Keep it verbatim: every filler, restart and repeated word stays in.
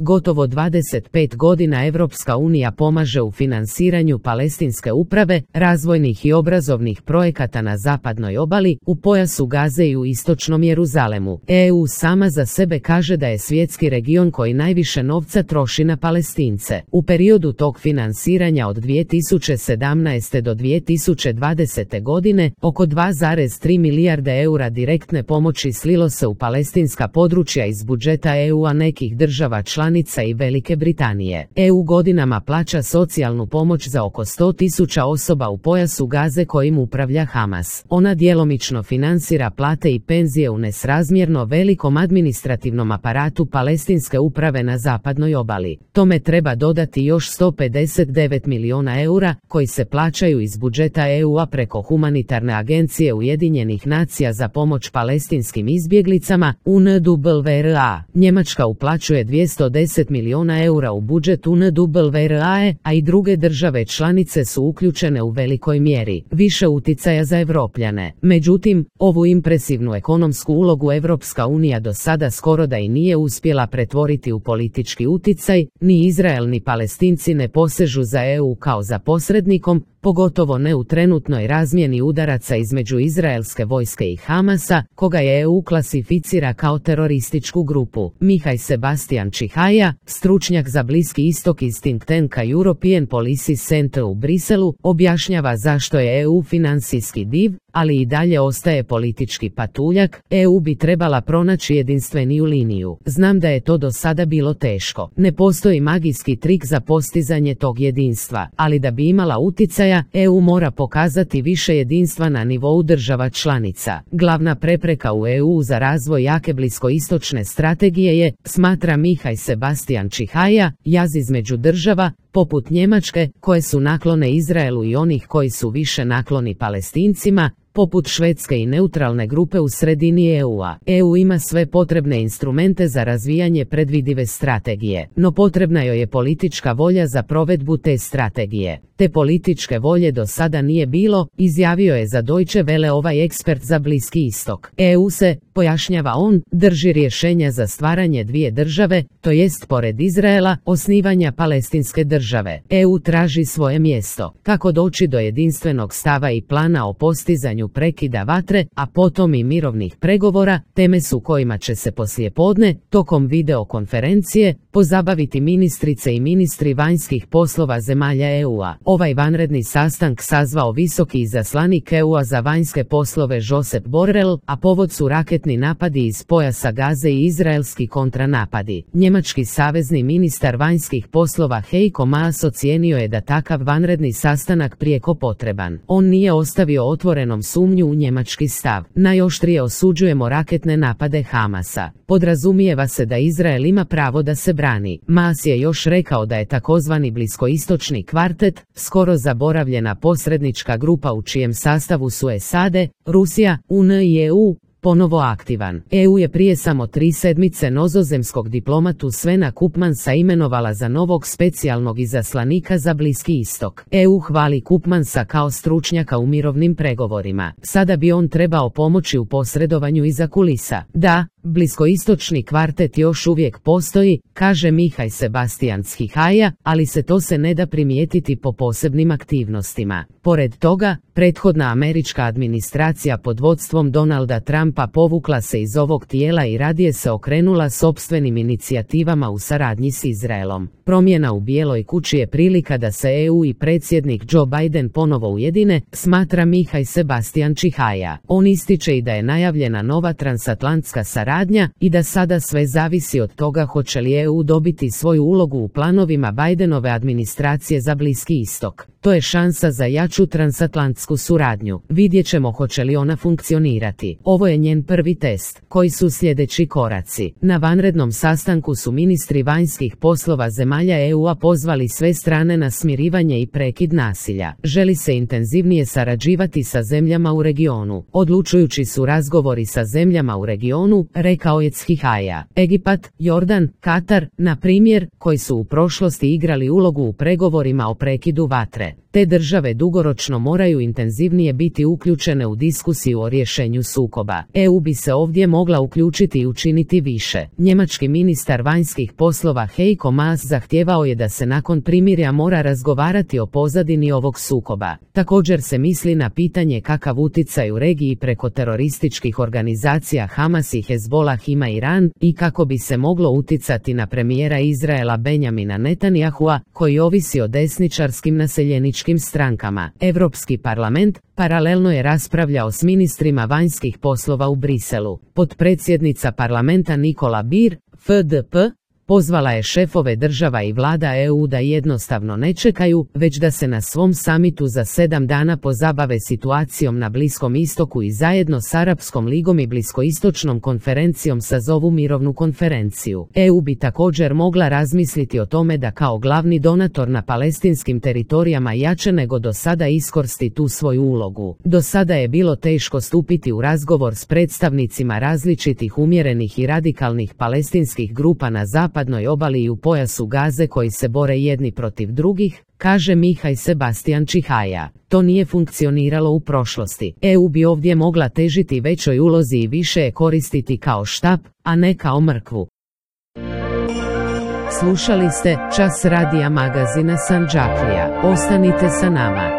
Gotovo dvadeset pet godina Evropska unija pomaže u finansiranju palestinske uprave, razvojnih i obrazovnih projekata na zapadnoj obali, u pojasu Gaze i u istočnom Jeruzalemu. E U sama za sebe kaže da je svjetski region koji najviše novca troši na Palestince. U periodu tog finansiranja od dvije tisuće sedamnaeste. do dvije tisuće dvadesete. godine, oko dva zarez tri milijarde eura direktne pomoći slilo se u palestinska područja iz budžeta E U-a, nekih država članica i Velike Britanije. E U godinama plaća socijalnu pomoć za oko sto tisuća osoba u pojasu Gaze kojim upravlja Hamas. Ona djelomično finansira plate i penzije u nesrazmjerno velikom administrativnom aparatu palestinske uprave na zapadnoj obali. Tome treba dodati još sto pedeset devet milijuna eura koji se plaćaju iz budžeta E U-a preko humanitarne agencije Ujedinjenih nacija za pomoć palestinskim izbjeglicama U N W R A. Njemačka uplaćuje dvjesto deset milijuna eura u budžet U N W R A, a i druge države članice su uključene u velikoj mjeri. Više uticaja za Evropljane. Međutim, ovu impresivnu ekonomsku ulogu Evropska unija do sada skoro da i nije uspjela pretvoriti u politički uticaj, ni Izrael ni Palestinci ne posežu za E U kao za posrednikom, pogotovo ne u trenutnoj razmjeni udaraca između izraelske vojske i Hamasa, koga je E U klasificira kao terorističku grupu. Mihaj Sebastian Čihaja, stručnjak za Bliski istok iz think tanka European Policy Center u Briselu, objašnjava zašto je E U financijski div, ali i dalje ostaje politički patuljak. E U bi trebala pronaći jedinstveniju liniju. Znam da je to do sada bilo teško. Ne postoji magijski trik za postizanje tog jedinstva, ali da bi imala uticaja, E U mora pokazati više jedinstva na nivou država članica. Glavna prepreka u E U za razvoj jake bliskoistočne strategije je, smatra Mihaj Sebastian Čihaja, jaz između država, poput Njemačke, koje su naklone Izraelu i onih koji su više nakloni Palestincima, poput Švedske i neutralne grupe u sredini E U-a. E U ima sve potrebne instrumente za razvijanje predvidive strategije, no potrebna joj je politička volja za provedbu te strategije. Te političke volje do sada nije bilo, izjavio je za Deutsche Welle ovaj ekspert za Bliski istok. E U se, pojašnjava on, drži rješenja za stvaranje dvije države, to jest pored Izraela, osnivanja palestinske države. E U traži svoje mjesto. Kako doći do jedinstvenog stava i plana o postizanju prekida vatre, a potom i mirovnih pregovora, teme su kojima će se poslijepodne, tokom videokonferencije, pozabaviti ministrice i ministri vanjskih poslova zemalja E U-a. Ovaj vanredni sastanak sazvao visoki izaslanik E U-a za vanjske poslove Josep Borrell, a povod su raketni napadi iz pojasa Gaze i izraelski kontranapadi. Njemački savezni ministar vanjskih poslova Heiko Maas ocijenio je da takav vanredni sastanak prijeko potreban. On nije ostavio otvorenom sumnju u njemački stav. Najoštrije osuđujemo raketne napade Hamasa. Podrazumijeva se da Izrael ima pravo da se brani. Maas je još rekao da je takozvani bliskoistočni kvartet, skoro zaboravljena posrednička grupa u čijem sastavu su S A D, Rusija, U N i E U, ponovo aktivan. E U je prije samo tri sedmice nizozemskog diplomatu Svena Koopmansa imenovala za novog specijalnog izaslanika za Bliski istok. E U hvali Koopmansa kao stručnjaka u mirovnim pregovorima. Sada bi on trebao pomoći u posredovanju iza kulisa. Da, bliskoistočni kvartet još uvijek postoji, kaže Mihaj Sebastian Čihaja, ali se to se ne da primijetiti po posebnim aktivnostima. Pored toga, prethodna američka administracija pod vodstvom Donalda Trumpa povukla se iz ovog tijela i radije se okrenula sopstvenim inicijativama u saradnji s Izraelom. Promjena u Bijeloj kući je prilika da se E U i predsjednik Joe Biden ponovo ujedine, smatra Mihaj Sebastian Čihaja. On ističe i da je najavljena nova transatlantska saradnja i da sada sve zavisi od toga hoće li E U dobiti svoju ulogu u planovima Bidenove administracije za Bliski istok. To je šansa za jaču transatlantsku suradnju. Vidjet ćemo hoće li ona funkcionirati. Ovo je njen prvi test. Koji su sljedeći koraci? Na vanrednom sastanku su ministri vanjskih poslova zemalja E U-a pozvali sve strane na smirivanje i prekid nasilja. Želi se intenzivnije sarađivati sa zemljama u regionu. Odlučujući su razgovori sa zemljama u regionu, rekao je Čihaja. Egipat, Jordan, Katar, na primjer, koji su u prošlosti igrali ulogu u pregovorima o prekidu vatre. Te države dugoročno moraju intenzivnije biti uključene u diskusiju o rješenju sukoba. E U bi se ovdje mogla uključiti i učiniti više. Njemački ministar vanjskih poslova Heiko Maas zahtijevao je da se nakon primirja mora razgovarati o pozadini ovog sukoba. Također se misli na pitanje kakav utjecaj u regiji preko terorističkih organizacija Hamas i Hezbolah ima Iran i kako bi se moglo utjecati na premijera Izraela Benjamina Netanyahua, koji ovisi o desničarskim naseljeničkim strankama. Europski parlament paralelno je raspravljao s ministrima vanjskih poslova u Briselu. Potpredsjednica parlamenta Nicola Beer, F D P, pozvala je šefove država i vlada E U da jednostavno ne čekaju, već da se na svom samitu za sedam dana pozabave situacijom na Bliskom istoku i zajedno s Arapskom ligom i Bliskoistočnom konferencijom sazovu mirovnu konferenciju. E U bi također mogla razmisliti o tome da kao glavni donator na palestinskim teritorijama jače nego do sada iskoristi tu svoju ulogu. Do sada je bilo teško stupiti u razgovor s predstavnicima različitih umjerenih i radikalnih palestinskih grupa na zapadu zapadnoj obali i u pojasu Gaze koji se bore jedni protiv drugih, kaže Mihaj Sebastian Čihaja. To nije funkcioniralo u prošlosti. E U bi ovdje mogla težiti većoj ulozi i više je koristiti kao štap, a ne kao mrkvu. Slušali ste Čas radija magazina Sandžaklija. Ostanite sa nama.